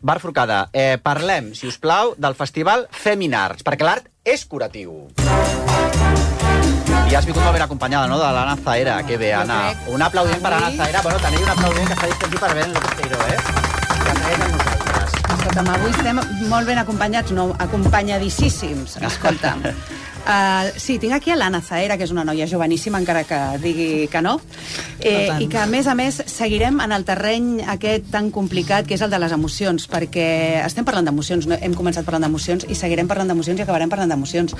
Bar Forcada, parlem, si us plau, del festival Feminarts, perquè l'art és curatiu. I has vingut molt ben acompanyada, no?, de l'Anna Zahera. Que bé, Anna. Un aplaudiment per Anna Zahera. Bueno, també un aplaudiment que està distingit per Ben López-Teiró, que traiem amb nosaltres. Escolta'm, avui estem molt ben acompanyats, no, acompanyadíssims, escolta'm. Sí, tinc aquí a l'Anna Zahera, que és una noia joveníssima, encara que digui que no, i que, a més, seguirem en el terreny aquest tan complicat que és el de les emocions, perquè estem parlant d'emocions, no? Hem començat parlant d'emocions i seguirem parlant d'emocions i acabarem parlant d'emocions.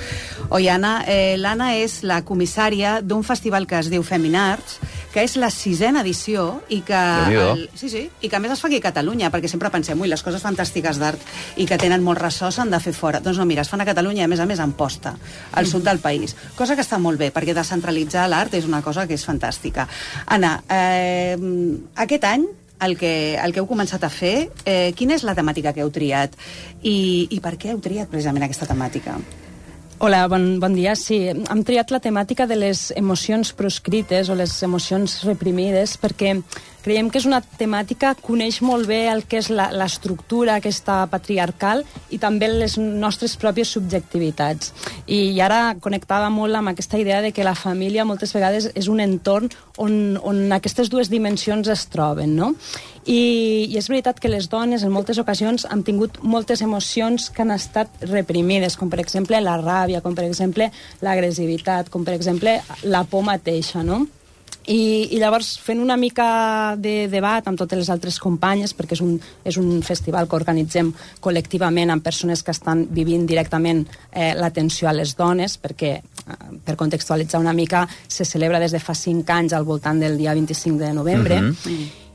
Oi, Anna? L'Anna és la comissària d'un festival que es diu Feminarts, que és la 6ª edició i que, i que a més es fa aquí a Catalunya, perquè sempre pensem, ui, les coses fantàstiques d'art i que tenen molt ressò s'han de fer fora. Doncs no, mira, es fan a Catalunya i a més Amposta, al sud del país. Cosa que està molt bé, perquè descentralitzar l'art és una cosa que és fantàstica. Anna, aquest any, el que heu començat a fer, quina és la temàtica que heu triat? I per què heu triat precisament aquesta temàtica? Hola, bon dia. Sí, hem triat la temàtica de les emocions proscrites o les emocions reprimides perquè creiem que és una temàtica que coneix molt bé el que és l'estructura aquesta patriarcal i també les nostres pròpies subjectivitats. I ara connectava molt amb aquesta idea de que la família moltes vegades és un entorn on aquestes dues dimensions es troben, no? I és veritat que les dones en moltes ocasions han tingut moltes emocions que han estat reprimides, com per exemple la ràbia, com per exemple l'agressivitat, com per exemple la por mateixa, no? I llavors, fent una mica de debat amb totes les altres companyes, perquè és un festival que organitzem col·lectivament amb persones que estan vivint directament l'atenció a les dones, perquè, per contextualitzar una mica, se celebra des de fa 5 anys al voltant del dia 25 de novembre.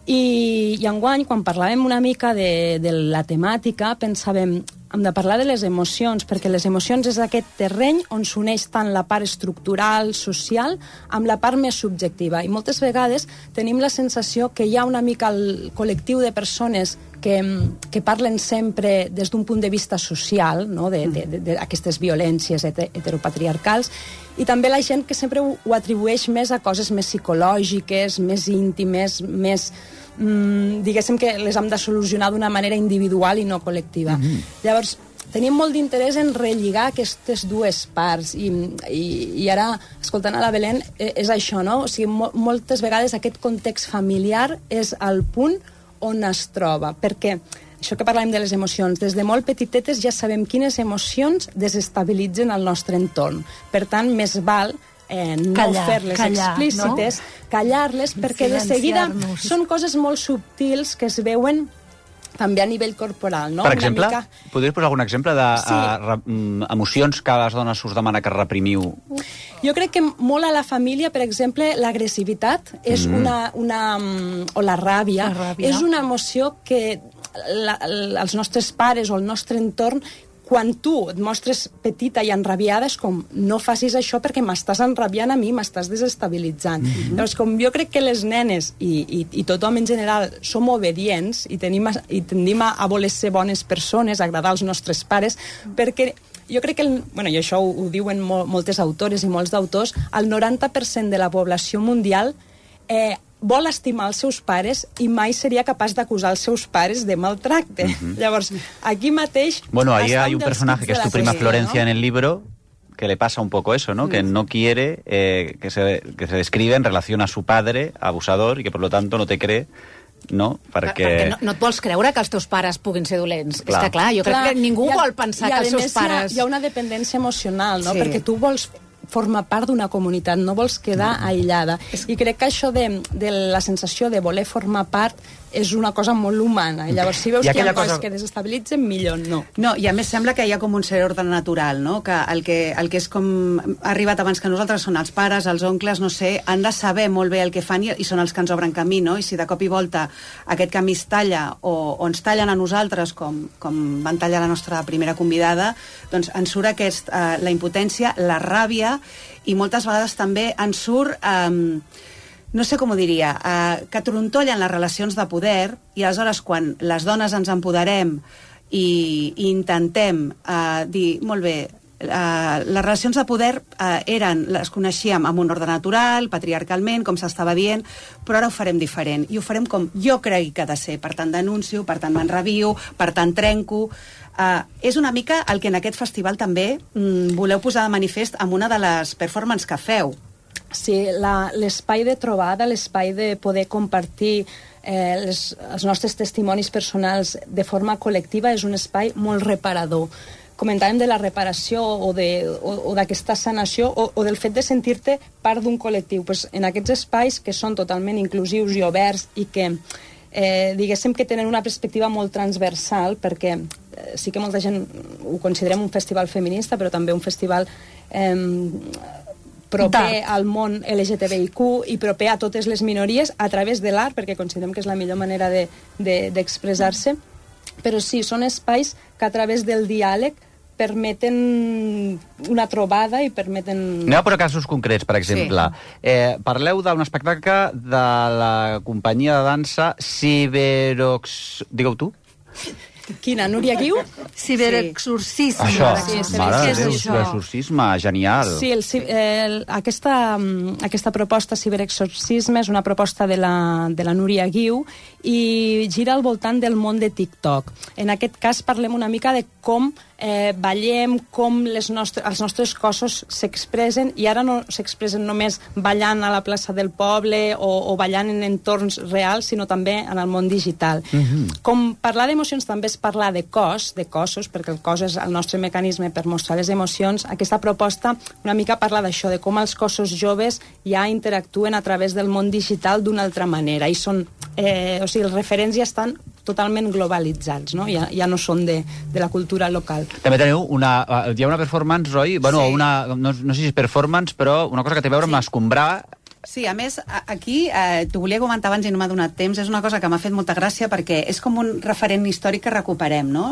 I enguany, quan parlàvem una mica de la temàtica, pensàvem, hem de parlar de les emocions, perquè les emocions és aquest terreny on s'uneix tant la part estructural, social, amb la part més subjectiva. I moltes vegades tenim la sensació que hi ha una mica el col·lectiu de persones que parlen sempre des d'un punt de vista social, no? d'aquestes violències heteropatriarcals, i també la gent que sempre ho atribueix més a coses més psicològiques, més íntimes, més diguéssim que les hem de solucionar d'una manera individual i no col·lectiva. Llavors, tenim molt d'interès en relligar aquestes dues parts i ara, escoltant a la Belén, és això, no? O sigui, moltes vegades aquest context familiar és el punt on es troba, perquè això que parlàvem de les emocions, des de molt petitetes ja sabem quines emocions desestabilitzen el nostre entorn. Per tant, més val no fer-les explícites, callar-les, perquè de seguida són coses molt subtils que es veuen també a nivell corporal, no? Per exemple, podries posar algun exemple d'emocions que a les dones us demana que reprimiu? Jo crec que molt a la família, per exemple, l'agressivitat és o la ràbia, és una emoció que els nostres pares o el nostre entorn, quan tu et mostres petita i enrabiada, és com, no facis això perquè m'estàs enrabiant a mi, m'estàs desestabilitzant. Llavors, com jo crec que les nenes i tothom en general som obedients i tendim a voler ser bones persones, agradar als nostres pares, perquè jo crec que, i això ho diuen moltes autores i molts d'autors, el 90% de la població mundial vol estimar els seus pares i mai seria capaç d'acusar els seus pares de maltracte. Llavors, aquí mateix... Bueno, ahí hay un personaje que es tu prima Florencia en el libro que le pasa un poco eso, ¿no? Que no quiere que se describe en relación a su padre, abusador, y que por lo tanto no te cree, no? Perquè no et vols creure que els teus pares puguin ser dolents. És que clar, jo crec que ningú vol pensar que els seus pares... Hi ha una dependència emocional, no? Perquè tu vols forma part d'una comunitat, no vols quedar aïllada. I crec que això de la sensació de voler formar part és una cosa molt humana. I llavors, si veus que hi ha coses que desestabilitzen, millor no. No, i a més sembla que hi ha com un cert ordre natural, no? Que el que és com ha arribat abans que nosaltres són els pares, els oncles, no sé, han de saber molt bé el que fan i són els que ens obren camí, no? I si de cop i volta aquest camí es talla o ens tallen a nosaltres, com van tallar la nostra primera convidada, doncs ens surt la impotència, la ràbia, i moltes vegades també ens surt... no sé com ho diria, que trontollen les relacions de poder i aleshores quan les dones ens empoderem i intentem dir, molt bé, les relacions de poder les coneixíem amb un ordre natural, patriarcalment, com s'estava dient, però ara ho farem diferent. I ho farem com jo crec que ha de ser. Per tant, denuncio, per tant, m'enrabio, per tant, trenco. És una mica el que en aquest festival també voleu posar de manifest amb una de les performances que feu. Sí, l'espai de trobada, l'espai de poder compartir els nostres testimonis personals de forma col·lectiva és un espai molt reparador. Comentàvem de la reparació o d'aquesta sanació o del fet de sentir-te part d'un col·lectiu. Pues en aquests espais que són totalment inclusius i oberts i que diguéssim que tenen una perspectiva molt transversal, perquè sí que molta gent ho considerem un festival feminista, però també un festival proper al món LGTBIQ i proper a totes les minories a través de l'art, perquè considerem que és la millor manera d'expressar-se. Però sí, són espais que a través del diàleg permeten una trobada i permeten... Aneu per casos concrets, per exemple. Sí. Parleu d'un espectacle de la companyia de dansa Ciberox... Digueu tu? Quina, Núria Guiu? Ciberexorcisme. Això, mare de Déu, ciberexorcisme, genial. Sí, aquesta proposta Ciberexorcisme és una proposta de la Núria Guiu i gira al voltant del món de TikTok. En aquest cas parlem una mica de com ballem, com els nostres cossos s'expressen, i ara no s'expressen només ballant a la plaça del poble o ballant en entorns reals, sinó també en el món digital. Com parlar d'emocions també és parlar de cossos, perquè el cos és el nostre mecanisme per mostrar les emocions. Aquesta proposta una mica parla d'això, de com els cossos joves ja interactuen a través del món digital d'una altra manera, i són, o sigui, els referents ja estan totalment globalitzats, no? Ja no són de la cultura local. També teniu hi ha una performance, Roi? Bueno, sí. No sé si és performance, però una cosa que té a veure amb l'escombrar. Sí, a més, aquí, t'ho volia comentar abans i no m'ha donat temps, és una cosa que m'ha fet molta gràcia perquè és com un referent històric que recuperem, no?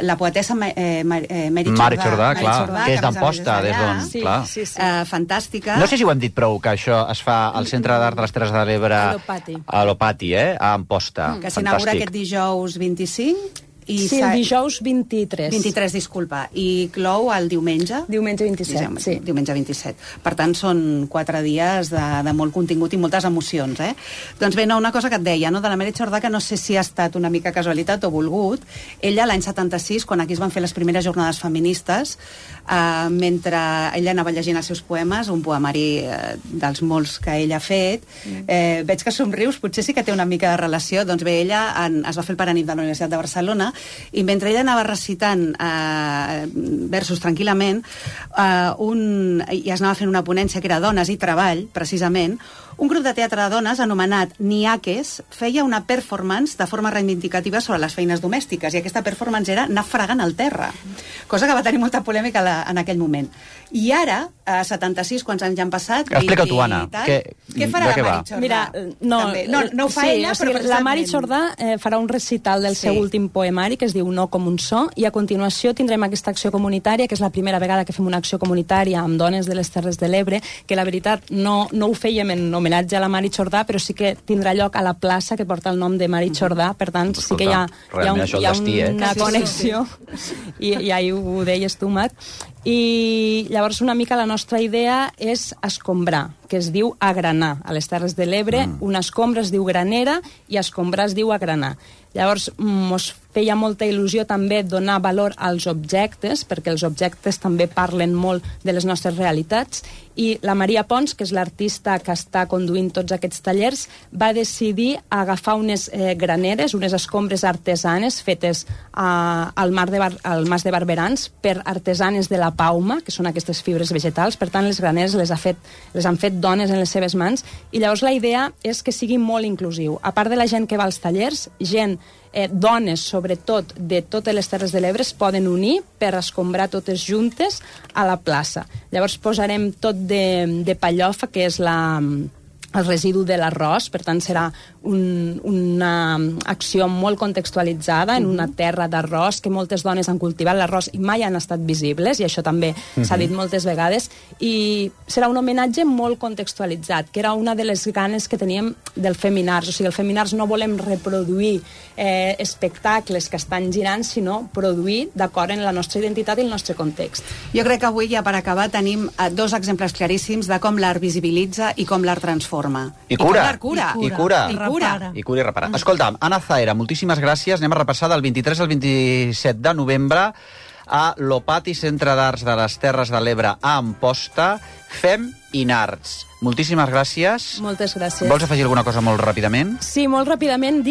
La poetessa Mary Jordà, que és d'Amposta, des d'on, clar. Sí. Fantàstica. No sé si ho hem dit prou, que això es fa al Centre d'Art de les Terres de l'Ebre... A l'Opati, a Amposta. Que s'inaugura aquest dijous 25... Sí, el dijous 23. 23, disculpa. I clou el diumenge? Diumenge 27, sí. Diumenge 27. Per tant, són 4 dies de molt contingut i moltes emocions, Doncs bé, una cosa que et deia, no? De la Mary Jordà, que no sé si ha estat una mica casualitat o volgut. Ella, l'any 76, quan aquí es van fer les primeres jornades feministes, mentre ella anava llegint els seus poemes, un poemari dels molts que ella ha fet, veig que somrius, potser sí que té una mica de relació. Doncs bé, ella es va fer el Paranip de la Universitat de Barcelona, i mentre ella anava recitant versos tranquil·lament, i es anava fent una ponència que era Dones i Treball, precisament, un grup de teatre de dones anomenat Niaques feia una performance de forma reivindicativa sobre les feines domèstiques, i aquesta performance era anar fregant al terra, cosa que va tenir molta polèmica en aquell moment. I ara, a 76, quants anys ja han passat... Explica tu, Anna. Què farà la Mary Jordà? Mira, no ho fa ella, però la Mary Jordà farà un recital del seu últim poemari, que es diu No com un so, i a continuació tindrem aquesta acció comunitària, que és la primera vegada que fem una acció comunitària amb dones de les Terres de l'Ebre, que la veritat no ho fèiem en homenatge a la Mary Jordà, però sí que tindrà lloc a la plaça que porta el nom de Mary Jordà, per tant sí que hi ha una connexió, i ahir ho deies tu, Mat. I llavors una mica la nostra idea és escombrar, que es diu agranar. A les Terres de l'Ebre una escombra es diu granera i escombrar es diu agranar. Llavors mos feia molta il·lusió també donar valor als objectes, perquè els objectes també parlen molt de les nostres realitats, i la Maria Pons, que és l'artista que està conduint tots aquests tallers, va decidir agafar unes graneres, unes escombres artesanes fetes al Mas de Barberans per artesanes de la Pauma, que són aquestes fibres vegetals. Per tant, les graneres les han fet dones en les seves mans, i llavors la idea és que sigui molt inclusiu. A part de la gent que va als tallers, dones, sobretot, de totes les Terres de l'Ebre es poden unir per escombrar totes juntes a la plaça. Llavors posarem tot de pallofa, que és el residu de l'arròs, per tant serà una acció molt contextualitzada en una terra d'arròs, que moltes dones han cultivat l'arròs i mai han estat visibles, i això també s'ha dit moltes vegades, i serà un homenatge molt contextualitzat, que era una de les ganes que teníem del Feminars. O sigui, el Feminars no volem reproduir espectacles que estan girant, sinó produir d'acord amb la nostra identitat i el nostre context. Jo crec que avui, ja per acabar, tenim dos exemples claríssims de com l'art visibilitza i com l'art transforma. I cura. I cura. I cura. I cura. I cura i repara. Escolta'm, Anna Zaera, moltíssimes gràcies. Anem a repassar del 23 al 27 de novembre a l'Opati Centre d'Arts de les Terres de l'Ebre a Amposta. Fem in Arts. Moltíssimes gràcies. Moltes gràcies. Vols afegir alguna cosa molt ràpidament? Sí, molt ràpidament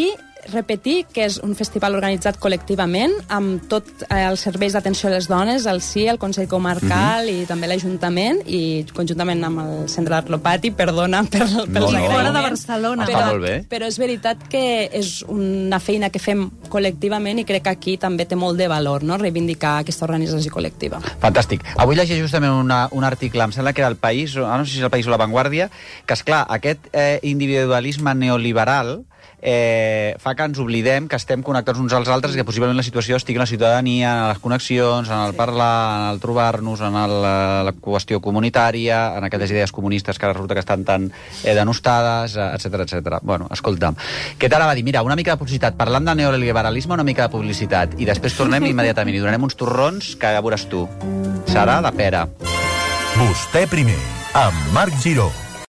repetir que és un festival organitzat col·lectivament amb tots els serveis d'atenció a les dones, el CIE, el Consell Comarcal i també l'Ajuntament, i conjuntament amb el Centre d'Art Lopati, perdona pels agraïments. Fora de Barcelona. Està molt bé. Però és veritat que és una feina que fem col·lectivament i crec que aquí també té molt de valor, no?, reivindicar aquesta organització col·lectiva. Fantàstic. Avui llegeixo justament un article, em sembla que era El País, no sé si és El País o La Vanguardia, que, esclar, aquest individualisme neoliberal fa que ens oblidem que estem connectats uns als altres i que possiblement la situació estigui en la ciutadania, en les connexions, en el parlar, en el trobar-nos, en la qüestió comunitària, en aquelles idees comunistes que resulta que estan tan denostades, etc etc. Bueno, escolta'm, què t'anava a dir? Mira, una mica de publicitat, parlant de neoliberalisme, una mica de publicitat, i després tornem immediatament i donarem uns torrons que ja veuràs tu. Serà de pera. Vostè primer, amb Marc Giró.